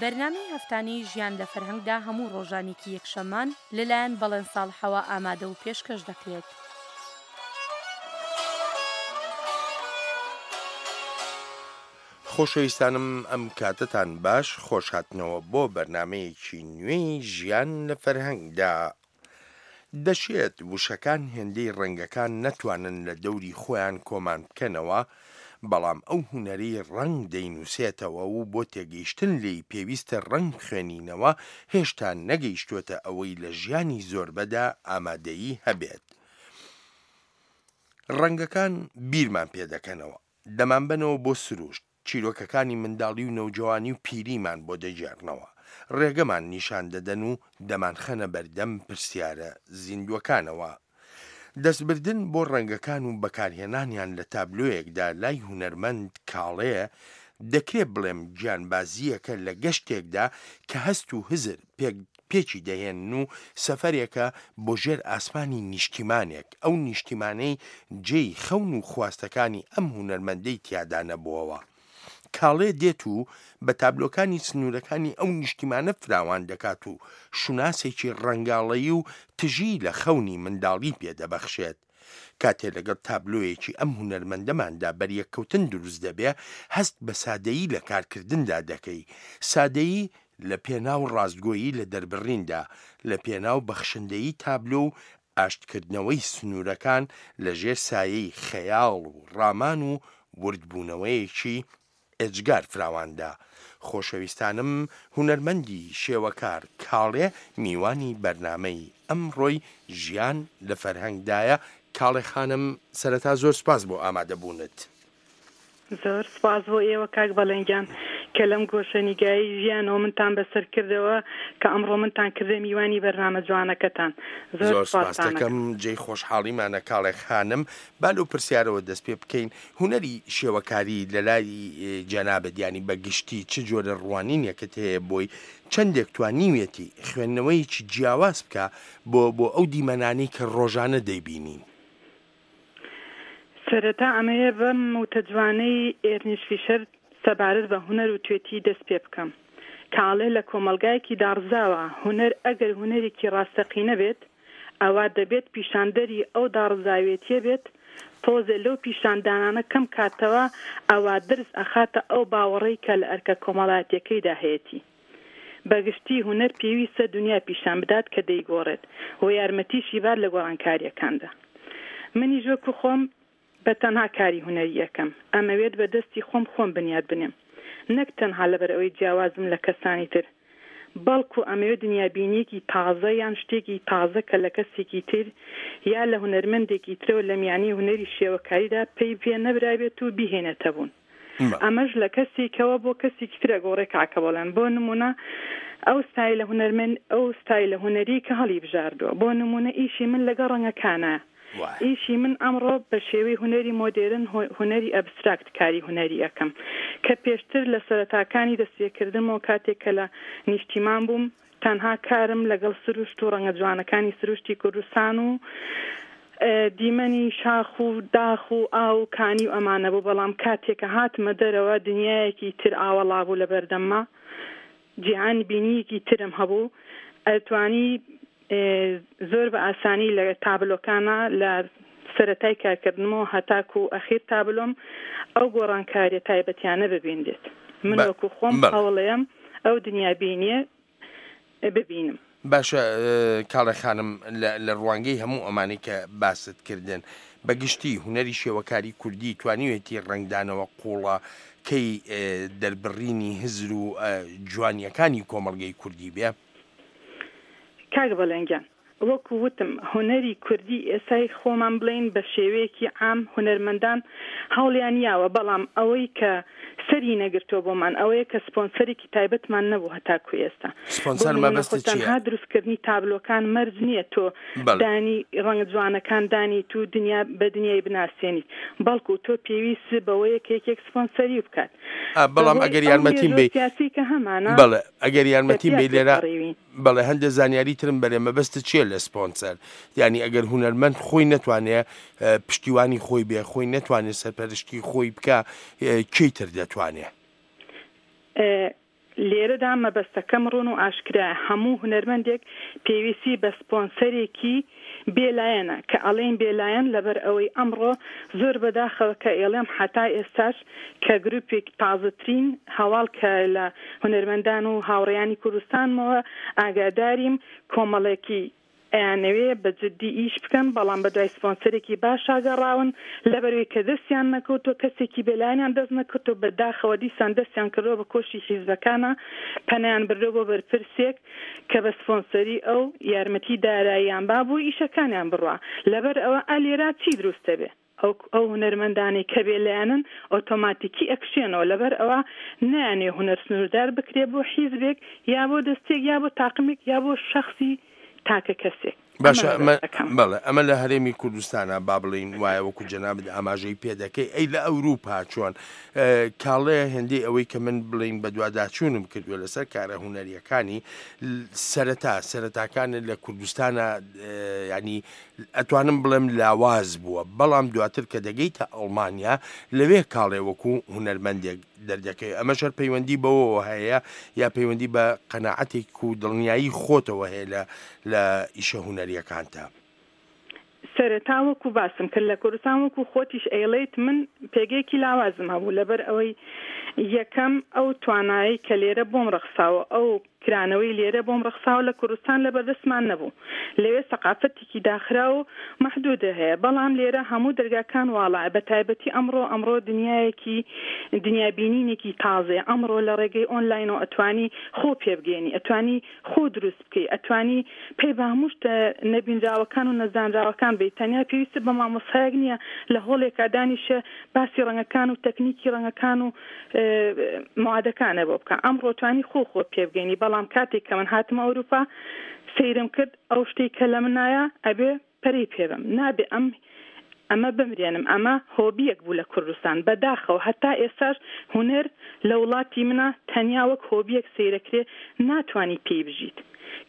بەرنامەی هەفتانەی ژیان لە فەرهەنگدا هەموو ڕۆژانێکی یەکشەممان لەلایەن بەڵێن ساڵحەوە ئامادە و پێشکەش دەکرێت. خۆشەویستانم ئەم کاتەتان باش خۆشهاتنەوە بۆ بەرنامەیەکی نوێی ژیان لە فەرهەنگدا. دەشێت وشەکان هێندەی ڕەنگەکان نەتوانن لە دەوری خۆیان کۆمان بکەنەوە، بەڵام ئەو هونەرەی ڕەنگ دەینووسێتەوە و بۆ تێگەیشتن لێی پێویستە ڕەنگ بخوێنینەوە، هێشتا نەگەیشتووەتە ئەوەی لە ژیانی زۆربەدا ئامادەیی هەبێت. ڕەنگەکان بیرمان پێ دەکەنەوە، دەمانبەنەوە بۆ سروشت، چیرۆکەکانی منداڵی و نەوجەوانی و پیریمان بۆ دەگێڕنەوە، ڕێگەمان نیشان دەدەن و دەمانخەنە بەردەم پرسیارە زیندووەکانەوە. دەستبردن بۆ ڕەنگەکان و بەکارهێنانیان لە تابلۆیەکدا لای هونەرمەند کاڵێ، دەکرێ بڵێم گیانبازییەکە لە گەشتێکدا کە هەست و هزر پێک پێکی دەهێنن و سەفەرێکە بۆ ژێر ئاسمانی نیشتیمانێک، ئەو نیشتیمانەی جێی خەون و خواستەکانی ئەم هونەرمەندەی تیادا نەبۆوە. کاڵێ دێت و بە تابلۆکانی سنوورەکانی ئەو نیشتیمانە فراوان دەکات و شوناسێکی ڕەنگاڵەیی و تژی لە خەونی منداڵی پێ دەبەخشێت. کاتێ لەگەڵ تابلۆیەکی ئەم هونەرمەندەماندا بەریەککەوتن دروست دەبێ، هەست بە سادەیی لە کارکردندا دەکەی. سادەیی لە پێناو ڕاستگۆیی لە دەربڕیندا، لە پێناو بەخشندەیی تابلۆ و ئاشتکردنەوەی سنوورەکان لە ژێر سایەی خەیاڵ و ڕامان و وردبوونەوەیەکی ئێجگار فراواندا. خۆشەویستانم هونەرمەندی شێوەکار کاڵێ میوانی بەرنامەی ئەمڕۆی ژیان لە فەرهەنگدایە، کاڵێ خانم سەرەتا زۆر سوپاس بۆ ئامادەبوونت. زۆر سوپاس بۆ ئێوە کاک بەڵێن گیان کە لەم گۆشەنیگای ژیانەوە منتان بەسەر کردەوە کە ئەمڕۆ منتان کردە میوانی بەرنامە جوانەکەتان زۆر زۆر سوپاستان سوپاست ئەکەم. دەکەم جێی خۆشحاڵیمانە کاڵێ خانم با لەو پرسیارەوە دەست پێ بکەین هونەری شێوەکاری لەلای جەنابت یانی بە گشتی چ جۆرە ڕوانینێکت هەیە بۆی چەندێک توانیویەتی خوێندنەوەیەکی جیاواز بکا بۆ بۆ ئەو دیمەنانەی کە ڕۆژانە دەیبینین؟ سەرەتا ئەمەوێ بەم وتە جوانەی ئێرنیست فیشەر سەبارەت بە هونەر وتوێتی دەست پێ بکەم کە ئەڵێ لە کۆمەڵگایەکی داڕزاوە هونەر ئەگەر هونەرێکی ڕاستەقینە بێت ئەوا دەبێت پیشاندەری ئەو داڕزاوێتیە بێت تۆزێ لەو پیشاندانانە کەم کاتەوە ئەوا درز ئەخاتە ئەو باوەڕەی کە لە ئەرکە کۆمەڵایەتیەکەیدا هەیەتی. بە گشتی هونەر پێویستە دونیا پیشان بدات کە دەیگۆڕێت و یارمەتیشی بات لە گۆڕانکارییەکاندا. منیش وەکو خۆم بە تەنها کاری هونەری ئەکەم. ئەمەوێت بە دەستی خۆم خۆم بنیات بنێم. نەک تەنها لەبەر ئەوەی جیاوازم لە کەسانی تر، بەڵکو ئەمەوێت دنیابینییەکی تازە یان شتێکی تازە کە لە کەسێکی تر یا لە هونەرمەندێکی ترەوە لە میانەی هونەری شێوەکاریدا پەی پێ نەبرابێت و بیهێنێتە بوون. ئەمەش لە کەسێکەوە بۆ کەسێکی تر ئەگۆڕێ کاکە بەڵێن بۆ نمونە ئەو ستایلە هونەرمەند ئەو ستایلە هونەری کە هەڵی بژاردووە بۆ نمونە ئیشی من لەگەڵ ڕەنگەکانە ئیشی من ئەمڕۆ بە شێوەی هونەری مۆدێرن هونەری ئەبستراکت کاری هونەری ئەکەم کە پێشتر لە سەرەتاکانی دەستپێکردنمەوە کاتێک کە لە نیشتیمان بووم تەنها کارم لەگەڵ سروشت و ڕەنگە جوانەکانی سروشتی کوردستان و دیمەنی شاخ و داخ و ئاو و کانی و ئەمانە بوو، بەڵام کاتێ کە هاتمە دەرەوە دنیایەکی تر ئاوەڵا بوو لە بەردەمما، جیهان بینییەکی ترم هەبوو، ئەتوانی زۆر بە ئاسانی لە تابلۆکانا لە سەرەتای کارکردنمەوە هەتاکوو ئەخیر تابلۆم ئەو گۆڕانکاریە تایبەتیانە ببینرێت. من وەکوو خۆم هەوڵەیەم ئەو دنیابینیە ببینم. باشە کاڵێ خانم لە ڕوانگەی هەموو ئەمانەی کە باست کردن بە گشتی هونەری شێوەکاری کوردی توانیوێتی ڕەنگدانەوە قووڵە کەی دەربڕینی هزر و جوانیەکانی کۆمەڵگەی کوردی بێ؟ کاک بەڵێن گیان وەکو وتم هونەری کوردی ئێستای خۆمان بڵێین بە شێوەیەکی عام هونەرمەندان هەوڵیان یاوە بەڵام ئەوەی کە سەری نەگرتووە بۆمان ئەوەیە کە سپۆنسەرێکی تایبەتمان نەبوو هەتاکو ئێستا بۆ سپۆنسەر نمونە خۆ مەبەستت چیە؟ تەنها دروستکردنی تابلۆکان مەرج نییە تۆ بەڵێ. دانی ڕەنگە جوانەکان دانیت و دنیا بە دنیای بناسێنیت بەڵکو تۆ پێویست بەوەیە کە یەکێک سپۆنسەری بکات ئا بەڵام بەهۆی ئەگەر ئەو یارمەتیم مێژووە بەی سیاسی کە هەمانە بەڵێ ئەگەر کە یارمەتیم پیا بەی لێرە تێپەڕیوین. بەڵێ هەندێ زانیاری ترم بەرێ مەبەستت چیە لە سپۆنسەر یانی ئەگەر هونەرمەند خۆی نەتوانێ پشتیوانی خۆی بێ خۆی نەتوانێ سەرپەرشتی خۆی بکا کێی تر دەتوانێ؟ لێرەدا مەبەستەکەم ڕوون و ئاشکرایە، هەموو هونەرمەندێک پێویستی بە سپۆنسەرێکی بێ لایەنە، کە ئەڵێین بێ لایەن لەبەر ئەوەی ئەمڕۆ زۆر بەداخەوە کە ئێڵێم حەتا ئێستاش کە گروپێک تازەترین هەواڵ کە لە هونەرمەندان و هاوڕێیانی کوردستانمەوە ئاگاداریم کۆمەڵێکی ئەیانەوێ بە جدی ئیش بکەن بەڵام بەدوای سپۆنسەرێکی باشا گەڕاون لەبەروی کە دەستیان نەکەوتوە کەسێکی بێلایەنیان دەست نەکەوتوە بە داخەوە دیسان دەستیان کردوە بە کۆشی حیزبەکانا پەنایان بردوە بۆ بەرپرسێک کە بە سپۆنسەری ئەو یارمەتی داراییان با بۆ ئیشەکانیان بڕوا لەبەر ئەوە ئە لێرا چی دروست دەبێ؟ ئەو ئەو هونەرمەندانەی کە بێ لایەنن ئۆتۆماتیکی ئەکشێنەوە لەبەر ئەوە نایانەوێ هونەر سنووردار بکرێ بۆ حیزبێک یا بۆ دەستەیەک یا بۆ تاقمێک یا بۆ شەخسی تاکە کەسێک. باشە ئەمە بەڵێ ئەمە لە هەرێمی کوردستانە با بڵێین وایە وەکو جەنابت ئاماژەی پێ دەکەی ئەی لە ئەوروپا چۆن کاڵێ هێندەی ئەوەی کە من بڵێین بەدواداچوونم کردووە لەسەر کارە هونەریەکانی سەرەتا سەرەتاکانت لە کوردستانە ینی ئەتوانم بڵێم لاواز بووە، بەڵام دواتر کە دەگەیتە ئەڵمانیا لەوێ کاڵێ وەکو هونەرمەندێک دەردەکەوێت، ئەمەش هەر پەیوەندی بەوەوە هەیە یا پەیوەندی بە قەناعەتێک و دڵنیایی خۆتەوە هەیە لە لە ئیشە هونەریەکانتا؟ سەرەتا وەکو باسم کرد لە کوردستان وەکو خۆتیش ئەیڵێیت من پێگەیەکی لاوازم هەبوو لەبەر ئەوەی یەکەم ئەو توانایەی کە لێرە بۆم ڕەخساوە ئەو کرانەوەی لێرە بۆم ڕەخساوە لە کوردستان لەبەردەستمان نەبوو. لەوێ سەقافەتێکی داخراو و مەحدودە هەیە، بەڵام لێرە هەموو دەرگاکان واڵایە، بەتایبەتی ئەمڕۆ، ئەمڕۆ دنیایەکی دنیابینینێکی تازەیە، ئەمڕۆ لە ڕێگەی ئۆنلاینەوە ئەتوانی خۆ پێبگەیەنی، ئەتوانی خۆ دروست بکەی، ئەتوانی پەی بە هەموو شتە نەبینراوەکان و نەزانراوەکان بەی، تەنیا پێویستت بە مامۆستایەک نییە لە هۆڵێکا دانیشێ باسی ڕەنگەکان و تەکنیکی ڕەنگەکان و موادەکانە بۆ بکە ئەمڕۆ توانی خۆ خۆت پێ بگەینی بەڵام کاتێک کە من هاتمە ئەوروپا سەیرم کرد ئەو شتەی کە لە منایە ئەبێ پەرەی پێ بەم نابێ ئەم ئەمە بمرێنم ئەمە هۆبیەک بوو لە کوردستان بەداخەوە هەتا ئێستاش هونەر لە وڵاتی منا تەنیا وەک هۆبیەک سەیرەکرێ ناتوانی پێی بژیت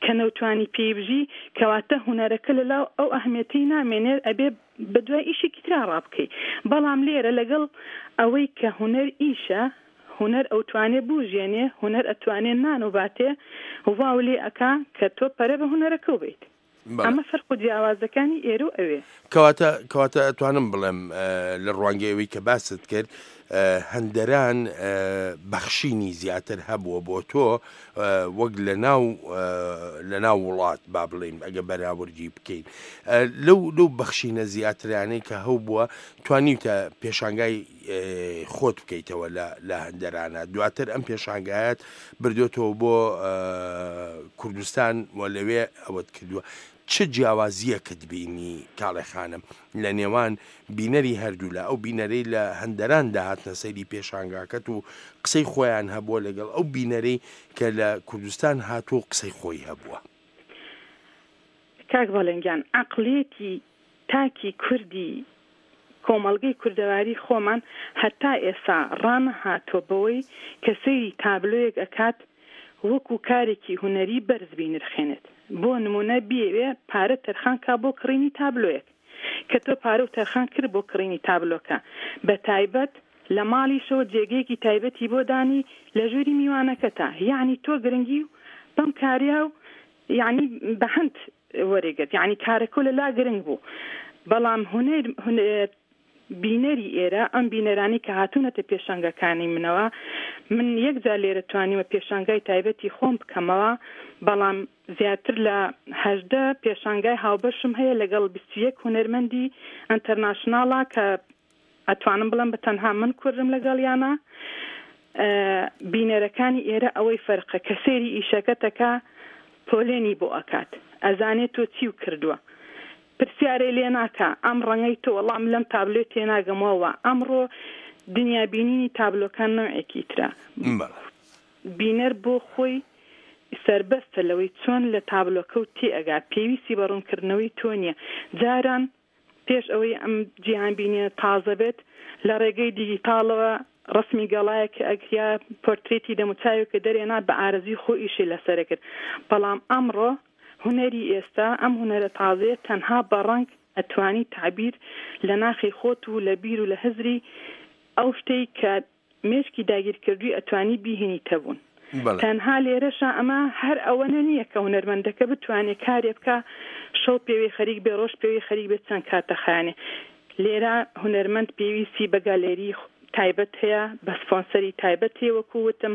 کە نەوتوانی پێی بژی کەواتە هونەرەکە لەلاو ئەو ئەهمیەتەی نامێنێ ئەبێ بەدوای ئیشێکی ترا ڕابکەی بەڵام لێرە لەگەڵ ئەوەی کە هونەر ئیشە هونەر ئەوتوانێ بوژێنێ هونەر ئەتوانێ نان و باتێ واو لێ ئەکا کە تۆ پەرە بە هونەرەکەو بەیت ئەمە فەرق و جیاوازەکانی ئێرە و ئەوێ. کەواتە کەواتە ئەتوانم بڵێم لە ڕوانگەی ئەوەی کە باست کرد هەندەران بەخشینی زیاتر هەبووە بۆ تۆ وەک لە ناو لە ناو وڵات با بڵێین ئەگە بەراوردی بکەین لەو لەو بەخشینە زیاترانەی کە هەبووە توانیوتە پێشانگای خۆت بکەیتەوە لە لە هەندەرانە دواتر ئەم پێشانگایەت بردوێتەوە بۆ کوردستان و لەوێ ئەوەت کردووە چ جیاوازییەکت بینی کاڵێ خانم لە نێوان بینەری هەردوولا، ئەو بینەرەی لە هەندەران دەهاتنە سەیری پێشانگاکەت و قسەی خۆیان هەبووە لەگەڵ ئەو بینەرەی کە لە کوردستان هاتووە و قسەی خۆی هەبووە؟ کاک بەڵێن گیان عەقڵیەتی تاکی کوردی کۆمەڵگەی کوردەواری خۆمان هەتا ئێسا ڕانەهاتووە بەوەی کە سەیری تابلۆیەک ئەکات وەکو کارێکی هونەری بەرز بینرخێنێت بۆ نمونە بیەوێ پارە تەرخان کا بۆ کڕینی تابلۆیەک کە تۆ پارەو تەرخان کرد بۆ کڕینی تابلۆکە بە تایبەت لە ماڵیشەوە جێگەیەکی تایبەتی بۆ دانی لە ژووری میوانەکەتا یەعنی تۆ گرنگی بەم کارە و یەعنی بە هەند وەرێگرت یەعنی کارەکەو لە لا گرنگ بوو بەڵام هونەر بینەری ئێرە ئەم بینەرانەی کە هاتوونەتە پێشانگاکانی منەوە من یەک جار لێرە توانیومە پێشانگای تایبەتی خۆم بکەمەوە بەڵام زیاتر لە 18 پێشانگای هاوبەشم هەیە لەگەڵ 21 هونەرمەندی ئەنتەرناشناڵا کە ئەتوانم بڵێم بە تەنها من کوردم لەگەڵیانا بینەرەکانی ئێرە ئەوەی فەرقە کە سەیری ئیشەکەتەکا پۆلێنی بۆ ئەکات ئەزانێ تۆ چیو کردوە پرسیارێ لێ ناکا ئەم ڕەنگەی تۆ وەڵا من لەم تابلۆی تێناگەم وەوە ئەمڕۆ دنیا بینینی تابلۆکان نەوعێکی ترە بینەر بۆ خۆی سەربەستە لەوەی چۆن لە تابلۆکەو تێئەگا پێویستی بە ڕوونکردنەوەی تۆ نیە جاران پێش ئەوەی ئەم جیهانبینییە تازە بێت، لە ڕێگەی دیجیتاڵەوە ڕەسمی گەڵایەک کە ئەکریا پۆرترێتی دەموچاوێکت دەرێنا بە ئارەزووی خۆ ئیشی لەسەر ئەکرد، بەڵام ئەمڕۆ هونەری ئێستا ئەم هونەرە تازەیە تەنها بە ڕەنگ ئەتوانی تەعبیر لە ناخی خۆت و لە بیر و لە هزری ئەو شتەی کە مێشکی داگیرکردووی ئەتوانی بیهێنیتە بوون. تەنها لێرەشا ئەمە هەر ئەوەنە نییە کە هونەرمەندەکە بتوانێ کارێ بکا شەو پێوەی خەریک بێ ڕۆژ پێوەی خەریک بێ چەند کات دەخایەنێ. لێرە هونەرمەند پێویستی بە گالێری تایبەت هەیە، بە سپۆنسەری تایبەت هەیە وەکوو وتم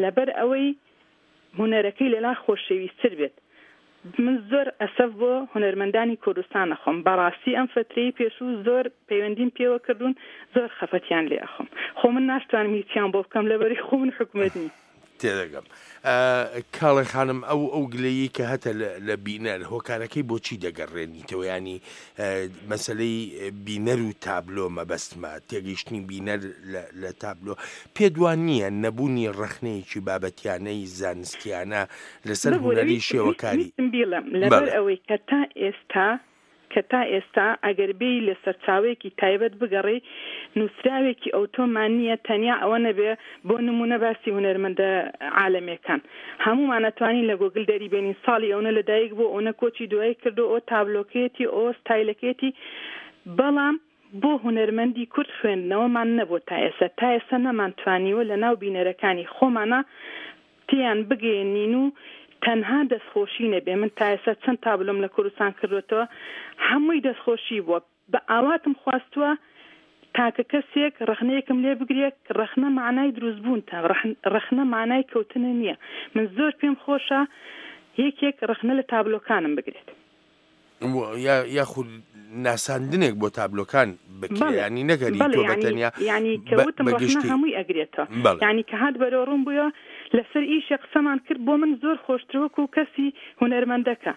لەبەر ئەوەی هونەرەکەی لەلا خۆشەویستتر بێت. من زۆر ئەسەف بۆ هونەرمەندانی کوردستان ئەخۆم بەڕاستی ئەم فەترەی پێشوو زۆر پەیوەندیم پێوە کردوون زۆر خەفەتیان لێ ئەخۆم خۆ من ناشتوانم هیچیان بۆ بکەم لەبەری خۆ من حکومەت نیم. تێدەگەم کاڵێ خانم ئەو ئەو گلەیی کە هەتە لە بینەر هۆکارەکەی بۆچی دەگەڕێنیتەوە ینی مەسلەی بینەر و تابلۆ مەبەستمە تێگەیشتنی بینەر لە تابلۆ پێت وا نییە نەبوونی ڕەخنەیەکی بابەتیانەی زانستیانە لەسەر ببورە هونەری شێوەکاری ویستم بیڵێم لەبەر بەڵێ. ئەوەی کە تا ئێستا کە تا ئێستا ئەگەر بێی لە سەرچاوەیەکی تایبەت بگەڕێی نووسراوێکی ئەوتۆمان نییە تەنیا ئەوە نەبێ بۆ نموونە باسی هونەرمەندە عالەمیەکان هەموومان ئەتوانین لە گۆگل دەری بێنین ساڵی ئەونە لە دایک بووە ئەونە کۆچی دوایی کردووە ئەوە تابلۆکەیەتی ئەوە ستایلەکەیەتی بەڵام بۆ هونەرمەندی کورد خوێندنەوەمان نەبووە تا ئێستا، تا ئێستا نەمانتوانیوە لە ناو بینەرەکانی خۆمانا تێیان بگەیەنین و تەنها دەستخۆشی نەبێ، من تا ئێستا چەند تابلۆم لە کوردستان کردووەتەوە هەمووی دەستخۆشی بووە، بە ئاواتم خواستووە تاکە کەسێک ڕەخنەیەکم لێ بگرێ، ڕەخنە مەعنای دروستبوونتە، ڕەخنە مانای کەوتنە نییە، من زۆر پێم خۆشە یەکێک ڕەخنە لە تابلۆکانم بگرێت. یاخود ناساندنێک بۆ تابلۆکان بکرێ ینی نەگەری تۆ بە تەنیا ینی کە وتم ڕەخنە هەمووی ئەگرێتەوە ینی کە هات بەرەو ڕوون بووە لەسەر ئیشێ قسەمان کرد بۆ من زۆر خۆشتر وەکو کەسی هونەرمەندەکە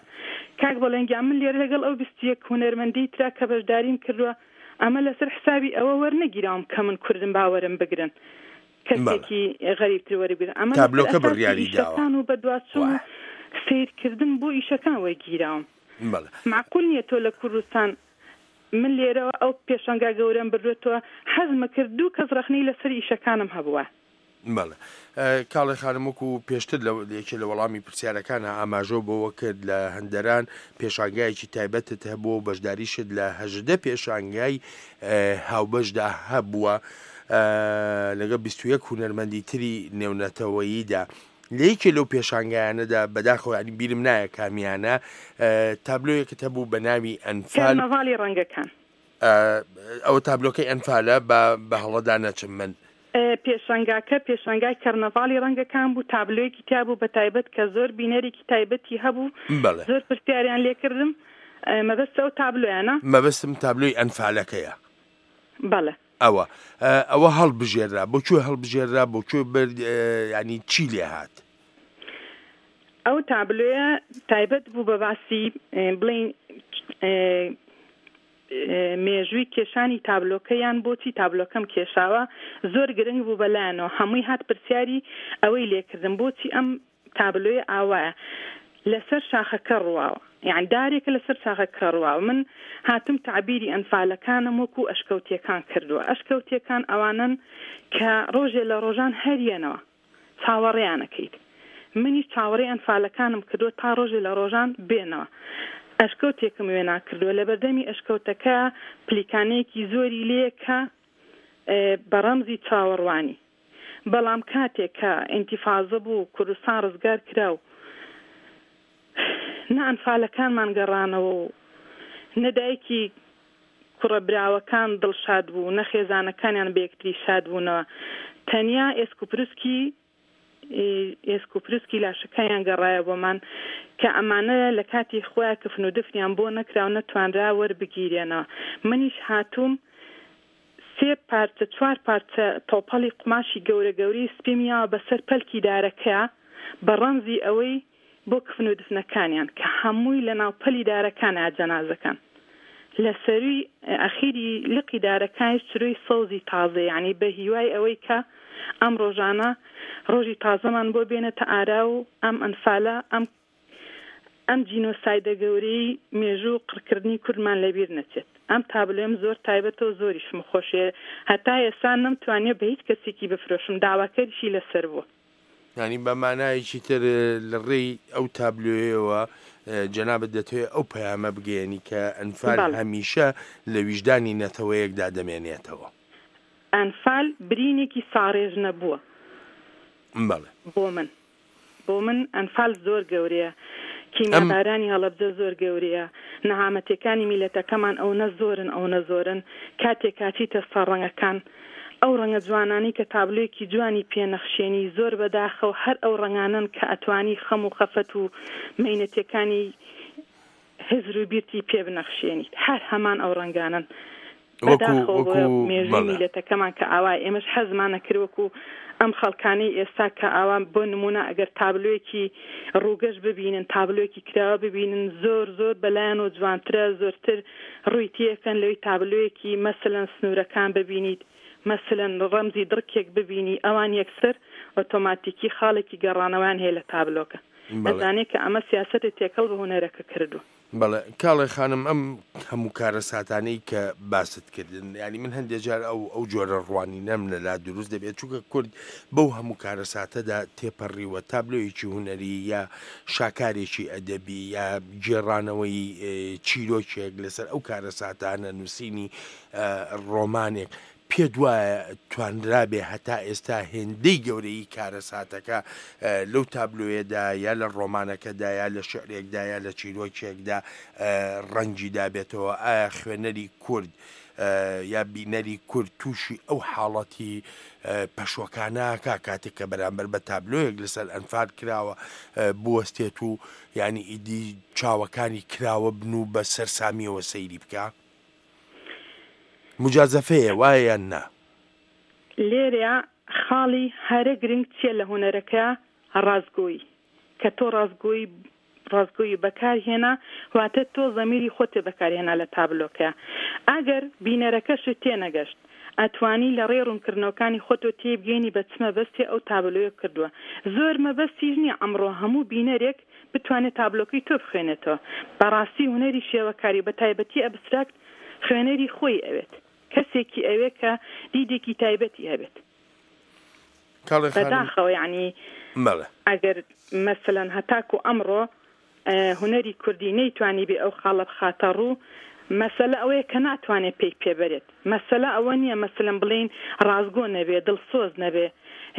کاک بەڵێن گیان من لێرە لەگەڵ ئەو 21 هونەرمەندی ترا کە بەشداریم کردووە ئەمە لەسەر حسابی ئەوە وەرنەگیراوم کە من کوردم باوەرم بگرن کەسێکی غەریبتر وەربگرن ئەمە لەسەر تابلۆکە ئەساسی بڕیاری داوە. ئیشەکان و بەدواچوون و وایە. سەیرکردن بۆ ئیشەکان وەرگیراوم. بەڵێ. مەعقول نییە تۆ لە کوردستان من لێرەوە ئەو پێشانگا گەورەم بردووەتەوە حەزمەکرد دوو کەس ڕەخنەی لەسەر ئیشەکانم هەبووە. بەڵێ. کاڵێ خانم وەکو پێشتر لە یەکێ لە وەڵامی پرسیارەکانا ئاماژەو بەوە کرد لە هەندەران پێشانگایەکی تایبەتت هەبووە و بەشداریشت لە 18 پێشانگای هاوبەشدا هەبووە لەگەڵ 21 هونەرمەندی تری نێونەتەوەییدا. لە یەکێ لەو پێشانگایانەدا بەداخەوە ینی بیرم نایە کامیانە تابلۆیەکت هەبوو بە ناوی ئەنفال. کەرنەڤاڵی ڕەنگەکان. ئەوە تابلۆکەی ئەنفالە با بە هەڵەدا نەچم من. پێشانگاکە پێشانگای کەرنەڤاڵی ڕەنگەکان بوو، تابلۆیەکی تیا بوو بە تایبەت کە زۆر بینەرێکی تایبەتی هەبوو، بەڵێ. زۆر پرسیاریان لێ کردم، مەبەستت ئەو تابلۆیانە؟ مەبەستم تابلۆی ئەنفالەکەیە. بەڵێ. ئەوە ئەوە هەڵبژێررا، بۆ کوێ هەڵبژێررا، بۆ کوێ برد، یانی چی لێ هات؟ ئەو تابلۆیە تایبەت بوو بە باسی بڵێین مێژووی کێشانی تابلۆکە یان بۆچی تابلۆکەم کێشاوە زۆر گرنگ بوو بەلایانەوە هەمووی هات پرسیاری ئەوەی لێکردم بۆچی ئەم تابلۆیە ئاوایە لەسەر شاخەکە ڕواوە یان دارێکە لەسەر شاخەکە ڕواوە من هاتم تەعبیری ئەنفالەکانم وەکو ئەشکەوتیەکان کردووە ئەشکەوتیەکان ئەوانەن کە ڕۆژێ لە ڕۆژان هەریەنەوە چاوەڕێیان ئەکەیت منیش چاوەڕێی ئەنفالەکانم کردووە تا ڕۆژێ لە ڕۆژان بێنەوە ئەشکەوتێکم وێنا کردووە لەبەردەمی ئەشکەوتەکە پلیکانەیەکی زۆری لێیە کە بە ڕەمزی چاوەڕوانی بەڵام کاتێک کە ئینتیفازە بوو و کوردستان ڕزگار کرا و نە ئەنفالەکانمان گەڕانەوە و نە دایکی کوڕە براوەکان دڵشاد بوو، نە خێزانەکانیان بە یەکتری شاد بوونەوە. تەنیا ئێسکوپروسکی ئێسکوپروسکی لاشەکانیان گەڕایەوە بۆمان کە ئەمانە لە کاتی خۆیا کفن و دفنیان بۆ نەکرا و نەتوانرا وەربگیرێنەوە. منیش هاتووم سێ پارچە چوار پارچە تۆپەڵی قوماشی گەورە گەورەی سپیم یاوە بەسەر پەلکی دارەکەیا بە ڕەمزی ئەوەی بۆ کفن و دفنەکانیان کە هەمووی لە ناو پەلی دارەکانە جەنازەکان لە سەرووی ئەخیری لقی دارەکانیش چرۆی سەوزی تازە یانی بە هیوای ئەوەی کە ئەم ڕۆژانە ڕۆژی تازەمان بۆ بێنێتە ئارا و ئەم ئەنفالە ئەم ئەم جینۆسایدە گەورەی مێژوو و قڕکردنی کوردمان لەبیر نەچێت. ئەم تابلۆیەم زۆر تایبەتە و زۆریشم خۆشەوێ هەتا ئێستا نەمتوانیوە بە هیچ کەسێکی بفرۆشم داواکەریشی لەسەر بووە. یانی بە مانایەکی تر لە ڕێی ئەو تابلۆیەوە جەنابت دەتەوێت ئەو پەیامە بگەیەنی کە ئەنفال بەڵێ. هەمیشە لە ویژدانی نەتەوەیەکدا دەمێنێتەوە. ئەنفال برینێکی ساڕێژ نەبووە بەڵێ. بۆ من. بۆ من ئەنفال زۆر گەورەیە، کیمیابارانی هەڵەبجە زۆر گەورەیە، نەهامەتیەکانی میلەتەکەمان ئەونە زۆرن ئەونە زۆرن، کاتێک ئەچیتە سەر ڕەنگەکان ئەو ڕەنگە جوانانەی کە تابلۆیەکی جوانی پێ نەخشێنی زۆر بەداخەوە هەر ئەو ڕەنگانەن کە ئەتوانی خەم و خەفەت و مەینەتیەکانی هزر و بیرتی پێ بنەخشێنیت هەر هەمان ئەو ڕەنگانەن. وەکو بەداخەوە بۆ وەکو مێژووی بەڵێ. میللەتەکەمان کە ئاوایە ئێمەش حەزمان ئەکرد وەکو ئەم خەڵکانەی ئێستا کە ئاوا بۆ نموونە ئەگەر تابلۆیەکی ڕووگەش ببینن تابلۆیەکی کراوە ببینن زۆر زۆر بەلایانەوە جوانترە زۆرتر ڕووی تێکەن لەوەی تابلۆیەکی مەسەلەن سنوورەکان ببینیت مەسەلەن ڕەمزی دڕکێک ببینی ئەوان یەکسەر ئۆتۆماتیکی خاڵێکی گەڕانەوەیان هەیە لە تابلۆکە بەڵێ. ئەزانێ کە ئەمە سیاسەتە تێکەڵ بە هونەرەکە کردووە. بەڵێ کاڵێ خانم ئەم هەموو کارەساتانەی کە باست کردن یانی من هەندێک جار ئەو ئەو جۆرە ڕوانینەم لەلا دروست دەبێت چونکە کورد بەو هەموو کارەساتەدا تێپەڕیوە تابلۆیەکی هونەری یا شاکارێکی ئەدەبی یا گێڕانەوەی چیرۆکێک لەسەر ئەو کارەساتانە نووسینی ڕۆمانێک پێت وایە توانرابێ هەتا ئێستا هێندەی گەورەیی کارەساتەکە لەو تابلۆیەدا یا لە ڕۆمانەکەدا یا لە شیعرێکدا یا لە چیرۆکێکدا ڕەنگی دابێتەوە؟ ئایا خوێنەری کورد یا بینەری کورد تووشی ئەو حاڵەتی پەشۆکانە ئەکا کاتێک کە بەرامبەر بە تابلۆیەک لەسەر ئەنفال کراوە بوەستێت و یانی ئیدی چاوەکانی کراوە بن و بە سەرسامییەوە سەیری بکا؟ موجازەفەیە وایە یان نا؟ لێرەیا خاڵی هەرە گرنگ چیە لە هونەرەکە ڕاستگۆیی کە تۆ ڕاستگۆیی ڕاستگۆیی بەکار هێنا واتە تۆ زەمیری خۆتت بەکار هێنا لە تابلۆکەیا ئەگەر بینەرەکەشت تێنەگەشت ئەتوانی لە ڕێی ڕوونکردنەوەکانی خۆتەوە تێیبگەینی بە چ مەبەستێ ئەو تابلۆیە کردووە زۆر مەبەستیش نیە ئەمڕۆ هەموو بینەرێک بتوانێت تابلۆکەی تۆ بخوێنێتەوە. بەڕاستی هونەری شێوەکاری و بەتایبەتی ئەبستراکت خوێنەری خۆی ئەوێت. کەسێکی ئەوێ کە دیدێکی تایبەتی هەبێت. کاڵێ خانم. بەداخەوە یەعنی بەڵێ. ئەگەر مەسەلەن هەتاکوو ئەمڕۆ هونەری کوردی نەیتوانیبێ ئەو خاڵە بخاتە ڕوو، مەسەلە ئەوەیە کە ناتوانێ پێی پێ بەرێت. مەسەلە ئەوە نییە مەسەلەن بڵێین ڕاستگۆ نەبێ، دڵسۆز نەبێ،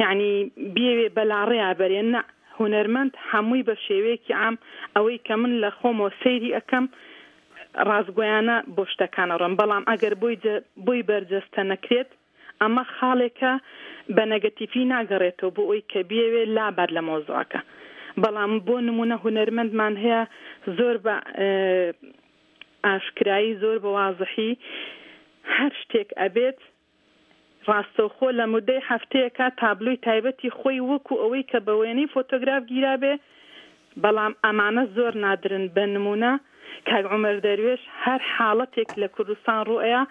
یەعنی بیەوێ بەلاڕێیا بەرێ، نا. هونەرمەند هەمووی بە شێوەیەکی عام ئەوەی کە من لە خۆمەوە سەیری ئەکەم ڕاستگۆیانە بۆ شتەکان ئەڕۆم بەڵام ئەگەر بۆی بۆی بەرجەستە نەکرێت ئەمە خاڵێکە بە نەگەتیفی ناگەڕێتەوە بۆ ئەوی کە بیەوێ لابات لە مەوزوعەکە بەڵام بۆ نمونە هونەرمەندمان هەیە زۆر بە ئاشکرایی زۆر بە وازحی هەر شتێک ئەبێت ڕاستەوخۆ لە مودەی هەفتەیەکا تابلۆی تایبەتی خۆی وەکو ئەوەی کە بە وێنەی فۆتۆگراف گیرابێ، بەڵام ئەمانە زۆر نادرن، بە نموونە کاک عومەر دەروێش هەر حاڵەتێک لە کوردستان ڕووئەیا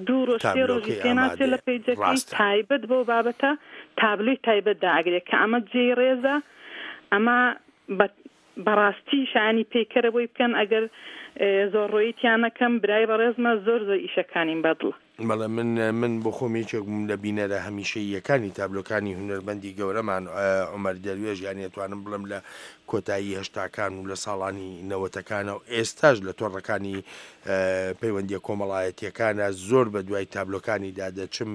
دوو ڕۆژ سێ ڕۆژی تابلۆکەی پێ ناچێ لە ئامادەیە پەیجەکەی ڕاستە. تایبەت بەو بابەتە تابلۆی تایبەت دائەگرێ کە ئەمە جێی ڕێزە ئەمە بە بەڕاستی شایانی پەیکەرە بۆی بکەن ئەگەر زۆر ڕۆیی تیا نەکەم برای بەڕێزمە زۆر زۆر ئیشەکانیم بەدڵە. بەڵێ من من بۆ خۆم یەکێک بووم لە بینەرە هەمیشەییەکانی تابلۆکانی هونەرمەندی گەورەمان عومەر دەروێش یانی ئەتوانم بڵێم لە کۆتایی هەشتاکان و لە ساڵانی نەوەتەکانە و ئێستاش لە تۆڕەکانی پەیوەندیە کۆمەڵایەتیەکانە زۆر بە دوای تابلۆکانیدا دەچم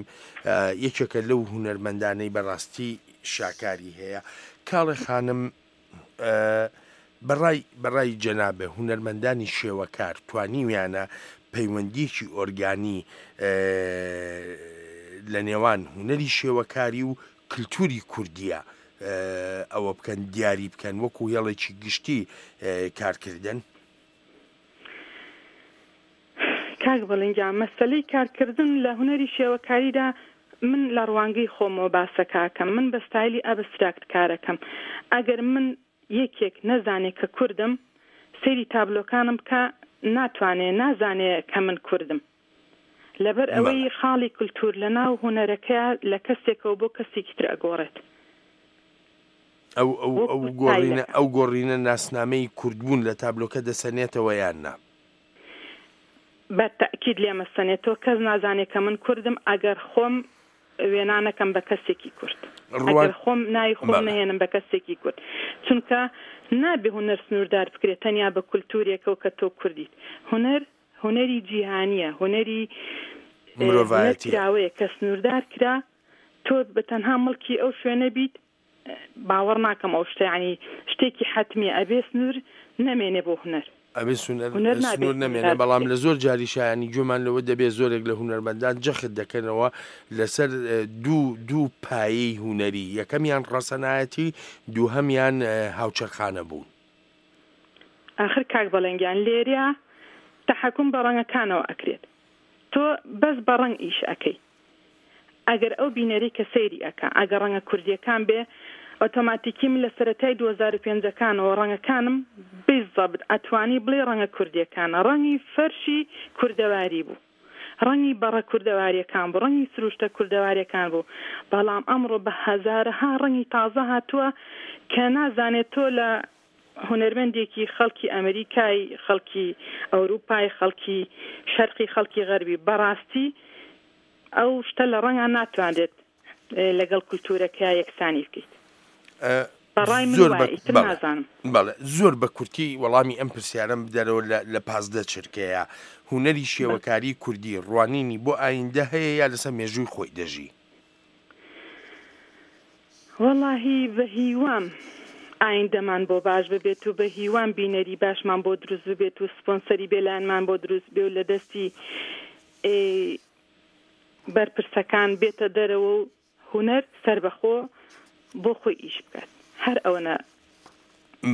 یەکێکە لەو هونەرمەندانەی بەڕاستی شاکاری هەیە کاڵێ خانم بەڕای بەڕای جەنابت هونەرمەندانی شێوەکار توانیویانە پەیوەندیەکی ئۆرگانی لە نێوان هونەری شێوەکاری و کلتوری کوردیە ئەوە بکەن دیاری بکەن وەکو هێڵێکی گشتی کارکردن؟ کاک بەڵێن گیان مەسەلەی کارکردن لە هونەری شێوەکاریدا من لە ڕوانگەی خۆمەوە باسەکە ئەکەم من بە ستایلی ئەبستراکت کارەکەم ئەگەر من یەکێک نەزانێ کە کوردم سەیری تابلۆکانم بکا ناتوانێ نازانێ کە من کوردم لەبەر بەڵێ. ئەوەی خاڵی کلتور لە ناو هونەرەکەیا لە کەسێکەوە بۆ کەسێکی تر ئەگۆڕێت. ئەو ئەو ئەو وەکو گۆڕینە ستایلەکە. ئەو گۆڕینە ناسنامەی کوردبوون لە تابلۆکە دەسەنێتەوە یان نا؟ بە تەئکید لێمەسەنێتەوە کەس نازانێ کە من کوردم ئەگەر خۆم وێنا نەکەم بە کەسێکی کورد ڕوان ئەگەر خۆم ناوی خۆم بەڵێ. نەهێنم بە کەسێکی کورد چونکە نابێ هونەر سنووردار بکرێت تەنیا بە کولتوورێکەوە کە تۆ کوردیت هونەر هونەری جیهانییە هونەری هونەر مرۆڤایەتییە. کراوەیە کە سنووردار کرا تۆ بە تەنها مڵکی ئەو شوێنە بیت. باوەڕ ناکەم ئەو شتە یانی شتێکی حەتمیە ئەبێ سنوور نەمێنێ بۆ هونەر. ئەبێ سونەر هونەر نابێ سنوور نەمێنێ بەڵام لە زۆر جاریشا یانی گوێمان لەوە دەبێ زۆرێک لە هونەرمەندان جەخت دەکەنەوە لەسەر دوو دوو پایەی هونەری یەکەمیان ڕەسەنایەتی دووهەمیان هاوچەرخانە بوون. ئاخر کاک بەڵێن گیان لێرە تەحەکوم بە ڕەنگەکانەوە ئەکرێت تۆ بەس بە ڕەنگ ئیش ئەکەی ئەگەر ئەو بینەری کە سەیری ئەکا ئەگەر ڕەنگە کوردیەکان بێ ئۆتۆماتیکی من لە سەرەتای 2005 ەکانەوە ڕەنگەکانم بیزەبت ئەتوانی بڵێی ڕەنگە کوردیەکانە ڕەنگی فەرشی کوردەواری بوو ڕەنگی بەڕە کوردەواریەکان بوو ڕەنگی سروشتە کوردەواریەکان بوو بەڵام ئەمڕۆ بە هەزارەها ڕەنگی تازە هاتووە کە نازانێت تۆ لە هونەرمەندێکی خەڵکی ئەمریکای، خەڵکی ئەوروپای، خەڵکی شەرقی، خەڵکی غەربی، بەڕاستی ئەو شتە لە ڕەنگا ناتوانرێت لەگەڵ کولتوورەکەیا یەکسانی بکەیت. بە ڕای من زۆر بە وایە، ئیتر بەڵێ نازانم. بەڵێ زۆر بە کورتی وەڵامی ئەم پرسیارەم بدەرەوە لە لە 15 چرکەیە هونەری بە. شێوەکاری کوردی ڕوانینی بۆ ئایندە هەیە یا لەسەر مێژووی خۆی دەژی؟ وەڵاهی بە هیوام ئایندەمان بۆ باش ببێت و بە هیوام بینەری باشمان بۆ دروست ببێت و سپۆنسەری بێلایەنمان بۆ دروست بێ و لە دەستی بەرپرسەکان بێتە دەرەوە و هونەر سەربەخۆ بۆ خۆی ئیش بکات هەر ئەوەنە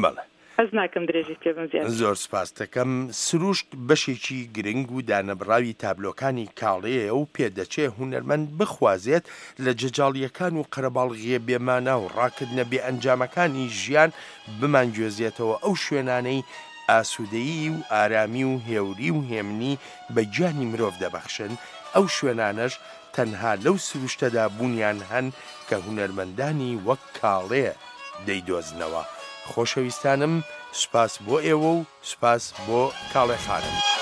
بەڵێ. حەز ناکەم درێژەی پێ بم زیاتر. زۆر سپاست دەکەم. سروشت بەشێکی گرنگ و دانەبڕاوی تابلۆکانی کاڵێیە و پێدەچێ هونەرمەند بخوازێت لە جەجاڵییەکان و قەرەباڵغییە بێ مانا و ڕاکردنە بێ ئەنجامەکانی ژیان بمانگوێزێتەوە ئەو شوێنانەی ئاسوودەیی و ئارامی و هێوری و هێمنی بە گیانی مرۆڤ دەبەخشن، ئەو شوێنانەش تەنها لەو سروشتەدا بوونیان هەن کە هونەرمەندانی وەک کاڵێ دەیدۆزنەوە. خۆشەویستانم سوپاس بۆ ئێوە و سوپاس بۆ کاڵێ خانم.